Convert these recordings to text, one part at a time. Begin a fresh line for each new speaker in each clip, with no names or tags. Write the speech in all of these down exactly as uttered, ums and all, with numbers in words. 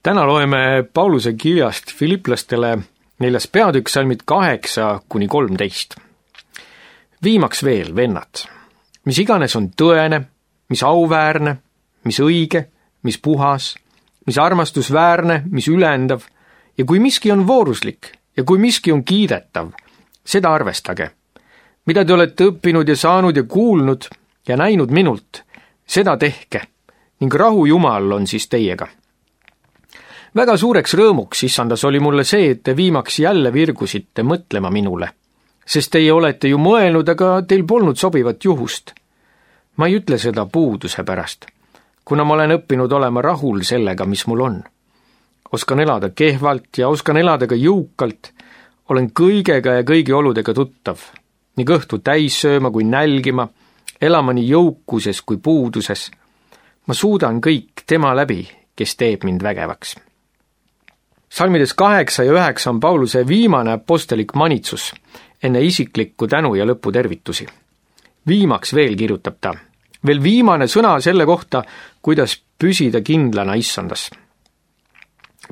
Täna loeme Pauluse kirjast Filiplastele neljas peatükk salmid kaheksa kuni kolmteist. Viimaks veel, vennad, mis iganes on tõene, mis auväärne, mis õige, mis puhas, mis armastusväärne, mis ülendav, ja kui miski on vooruslik ja kui miski on kiidetav, seda arvestage. Mida te olete õppinud ja saanud ja kuulnud ja näinud minult, seda tehke, ning rahu Jumal on siis teiega. Väga suureks rõõmuks issandas oli mulle see, et te viimaks jälle virgusite mõtlema minule, sest teie olete ju mõelnud, aga teil polnud sobivat juhust. Ma ei ütle seda puuduse pärast, kuna ma olen õppinud olema rahul sellega, mis mul on. Oskan elada kehvalt ja oskan elada ka jõukalt, olen kõigega ja kõigi oludega tuttav, nii kõhtu täis sööma kui nälgima, elama nii jõukuses kui puuduses. Ma suudan kõik tema läbi, kes teeb mind vägevaks. Salmides kaheksa ja üheksa on Pauluse viimane apostolik manitsus enne isiklikku tänu ja lõputervitusi. Viimaks veel kirjutab ta, veel viimane sõna selle kohta, kuidas püsida kindlana issandas.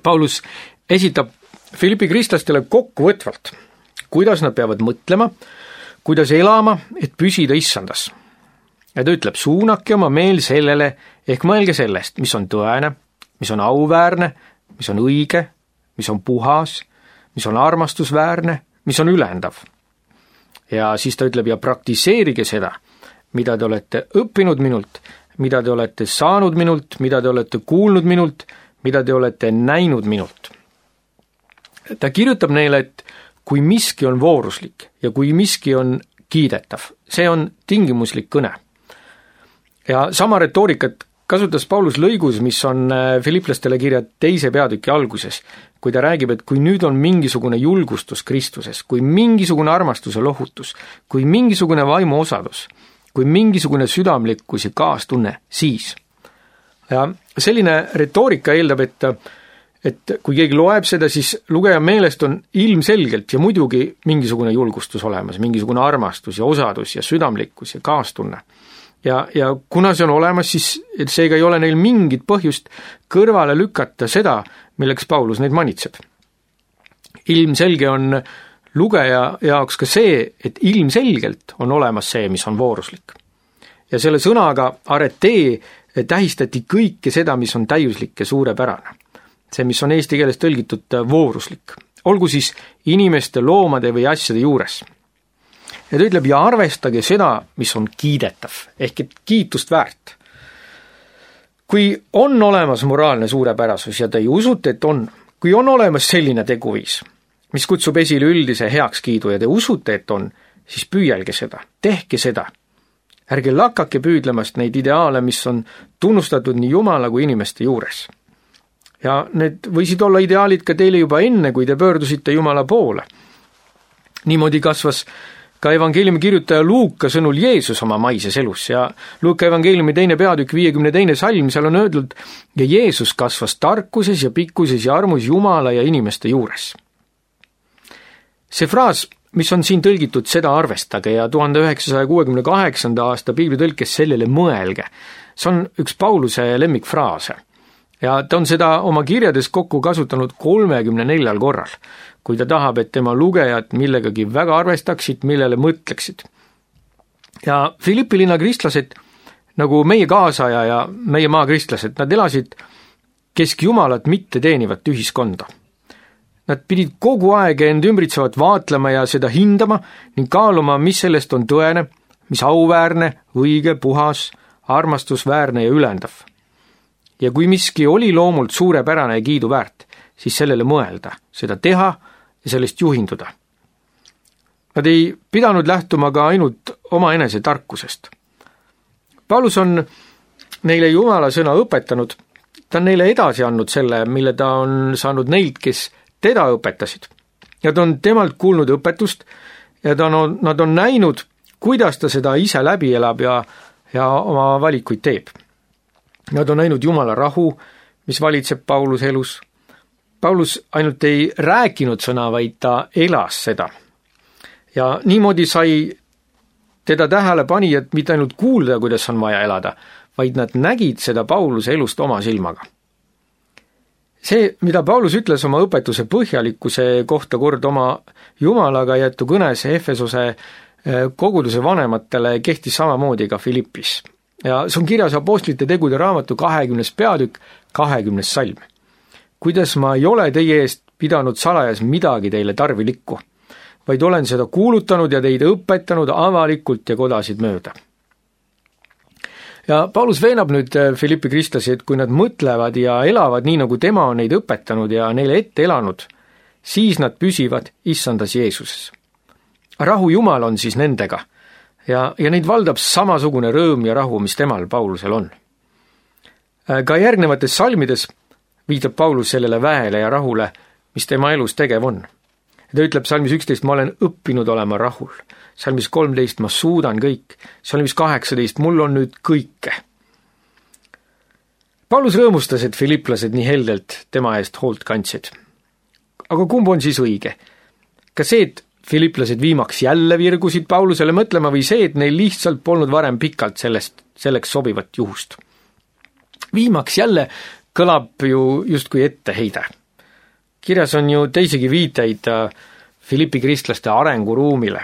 Paulus esitab Filipi kristlastele kokkuvõtvalt, kuidas nad peavad mõtlema, kuidas elama, et püsida issandas. Ja ta ütleb, suunake oma meel sellele, ehk mõelge sellest, mis on tõene, mis on auväärne, mis on õige, mis on puhas, mis on armastusväärne, mis on ülendav. Ja siis ta ütleb, ja praktiseerige seda, mida te olete õppinud minult, mida te olete saanud minult, mida te olete kuulnud minult, mida te olete näinud minult. Ta kirjutab neile, et kui miski on vooruslik ja kui miski on kiidetav, see on tingimuslik kõne. Ja sama retoorikat kasutas Paulus lõigus, mis on Filiplastele kirja teise peatüki alguses, kui ta räägib, et kui nüüd on mingisugune julgustus Kristuses, kui mingisugune armastuse lohutus, kui mingisugune vaimu osadus, kui mingisugune südamlikkus ja kaastunne, siis. Ja selline retoorika eeldab, et, et kui keegi loeb seda, siis lugeja meelest on ilmselgelt ja muidugi mingisugune julgustus olemas, mingisugune armastus ja osadus ja südamlikkus ja kaastunne. Ja, ja kuna see on olemas, siis seega ei ole neil mingit põhjust kõrvale lükata seda, milleks Paulus neid manitseb. Ilmselge on lugeja jaoks ka see, et ilmselgelt on olemas see, mis on vooruslik. Ja selle sõnaga aretee tähistati kõike seda, mis on täiuslik ja suurepärane. See, mis on eesti keeles tõlgitud vooruslik. Olgu siis inimeste, loomade või asjade juures. Ja ta ütleb, ja arvestage seda, mis on kiidetav, ehk et kiitust väärt. Kui on olemas moraalne suurepärasus ja te ei usute, et on, kui on olemas selline teguviis, mis kutsub esile üldise heakskiidu ja te usute, et on, siis püüelge seda, tehke seda. Ärge lakake püüdlemast neid ideaale, mis on tunnustatud nii Jumala kui inimeste juures. Ja need võisid olla ideaalid ka teile juba enne, kui te pöördusite Jumala poole. Niimoodi kasvas ka evangeeliumi kirjutaja Luuka sõnul Jeesus oma maises elus ja Luuka evangeeliumi teine peatükk viiekümne teine salm, seal on öeldud, ja Jeesus kasvas tarkuses ja pikkuses ja armus Jumala ja inimeste juures. See fraas, mis on siin tõlgitud, seda arvestage ja tuhande üheksasaja kuuekümne kaheksanda aasta piiblitõlkes sellele mõelge, see on üks Pauluse lemmikfraase. Ja ta on seda oma kirjades kokku kasutanud kolmekümne neljal korral, kui ta tahab, et tema lugejad millegagi väga arvestaksid, millele mõtleksid. Ja Filippi linna kristlased, nagu meie kaasaja ja meie maa kristlased, nad elasid keskjumalat mitte teenivat ühiskonda. Nad pidid kogu aeg end ümbritsevat vaatlema ja seda hindama ning kaaluma, mis sellest on tõene, mis auväärne, õige, puhas, armastusväärne ja ülendav. Ja kui miski oli loomult suurepärane ja kiidu väärt, siis sellele mõelda, seda teha ja sellest juhinduda. Nad ei pidanud lähtuma ka ainult oma enese tarkusest. Paulus on neile Jumala sõna õpetanud, ta on neile edasi andnud selle, mille ta on saanud neilt, kes teda õpetasid. Ja ta on temalt kuulnud õpetust ja ta on, nad on näinud, kuidas ta seda ise läbi elab ja, ja oma valikuid teeb. Nad on näinud Jumala rahu, mis valitseb Pauluse elus. Paulus ainult ei rääkinud sõna, vaid ta elas seda. Ja niimoodi sai teda tähelepanijad mitte ainult kuulda, kuidas on vaja elada, vaid nad nägid seda Pauluse elust oma silmaga. see, mida Paulus ütles oma õpetuse põhjalikkuse kohta kord oma Jumalaga jäetu kõnes Efesose koguduse vanematele, kehtis samamoodi ka Filippis. Ja see on kirjas Apostlite tegude raamatu kahekümnes peatükk, kahekümnes salm. Kuidas ma ei ole teie eest pidanud salajas midagi teile tarvilikku, vaid olen seda kuulutanud ja teid õpetanud avalikult ja kodasid mööda. Ja Paulus veenab nüüd Filippi kristlasi, et kui nad mõtlevad ja elavad nii, nagu tema on neid õpetanud ja neile ette elanud, siis nad püsivad issandas Jeesuses. Rahu Jumal on siis nendega ja, ja neid valdab samasugune rõõm ja rahu, mis temal Paulusel on. Ka järgnevates salmides viitab Paulus sellele väele ja rahule, mis tema elus tegev on. Ta ütleb salmis üksteist, ma olen õppinud olema rahul. Salmis kolmteist, ma suudan kõik. Salmis kaheksateist, mul on nüüd kõike. Paulus rõõmustas, et filiplased nii heldelt tema eest hoolt kandsid. Aga kumb on siis õige? Kas see, et filiplased viimaks jälle virgusid Paulusele mõtlema või see, et neil lihtsalt polnud varem pikalt sellest, selleks sobivat juhust? Viimaks jälle kõlab ju justkui etteheide. Kirjas on ju teisegi viiteid Filippi kristlaste arenguruumile,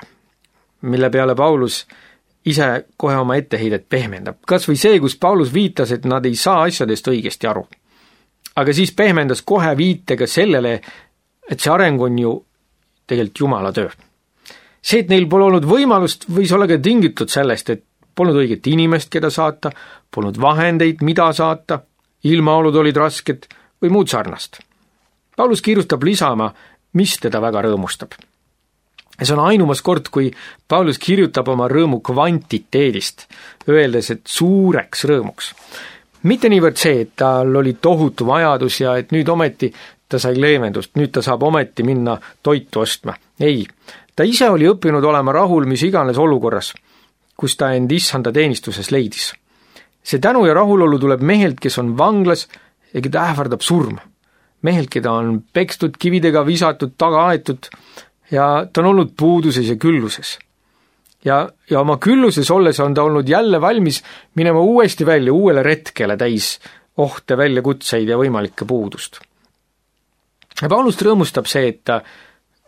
mille peale Paulus ise kohe oma etteheidet pehmendab. Kas või see, kus Paulus viitas, et nad ei saa asjadest õigesti aru. Aga siis pehmendas kohe viitega sellele, et see areng on ju tegelikult Jumala töö. See, et neil pole olnud võimalust, võis olla ka tingitud sellest, et polnud õiget inimest, keda saata, polnud vahendeid, mida saata, ilmaolud olid rasked või muud sarnast. Paulus kiirustab lisama, mis teda väga rõõmustab. See on ainumas kord, kui Paulus kirjutab oma rõõmu kvantiteedist, öeldes, et suureks rõõmuks. Mitte niivõrd see, et tal oli tohutu vajadus ja et nüüd ometi ta sai leevendust, nüüd ta saab ometi minna toitu ostma. Ei, ta ise oli õppinud olema rahul mis iganes olukorras, kus ta end issanda teenistuses leidis. See tänu ja rahulolu tuleb mehelt, kes on vanglas ja keda ähvardab surm. Mehelt, keda on pekstud, kividega visatud, taga aetud ja ta on olnud puuduses ja külluses. Ja, ja oma külluses olles on ta olnud jälle valmis minema uuesti välja uuele retkele täis ohte, väljakutseid ja võimalikke puudust. Ja Paulust rõõmustab see, et ta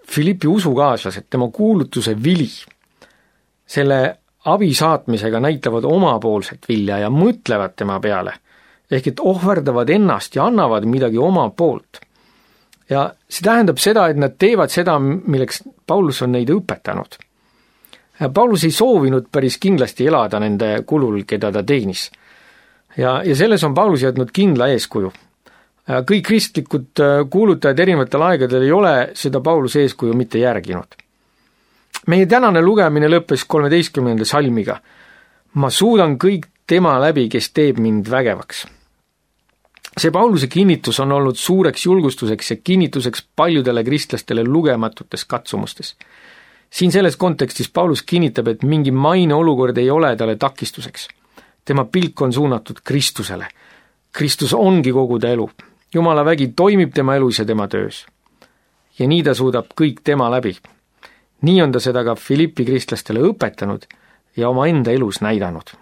Filippi usukaaslased, tema kuulutuse vili, selle abi saatmisega näitavad omapoolset vilja ja mõtlevad tema peale, ehk et ohverdavad ennast ja annavad midagi oma poolt. Ja see tähendab seda, et nad teevad seda, milleks Paulus on neid õpetanud. Paulus ei soovinud päris kindlasti elada nende kulul, keda ta teenis. Ja, ja selles on Paulus jätnud kindla eeskuju. Kõik kristlikud kuulutajad erinevatel aegadel ei ole seda Pauluse eeskuju mitte järginud. Meie tänane lugemine lõppes kolmeteistkümnenda salmiga. Ma suudan kõik tema läbi, kes teeb mind vägevaks. See Pauluse kinnitus on olnud suureks julgustuseks ja kinnituseks paljudele kristlastele lugematutes katsumustes. Siin selles kontekstis Paulus kinnitab, et mingi maine olukord ei ole talle takistuseks. Tema pilk on suunatud Kristusele. Kristus ongi kogu ta elu. Jumala vägi toimib tema elus ja tema töös. Ja nii ta suudab kõik tema läbi. Nii on ta seda ka Filippi kristlastele õpetanud ja oma enda elus näidanud.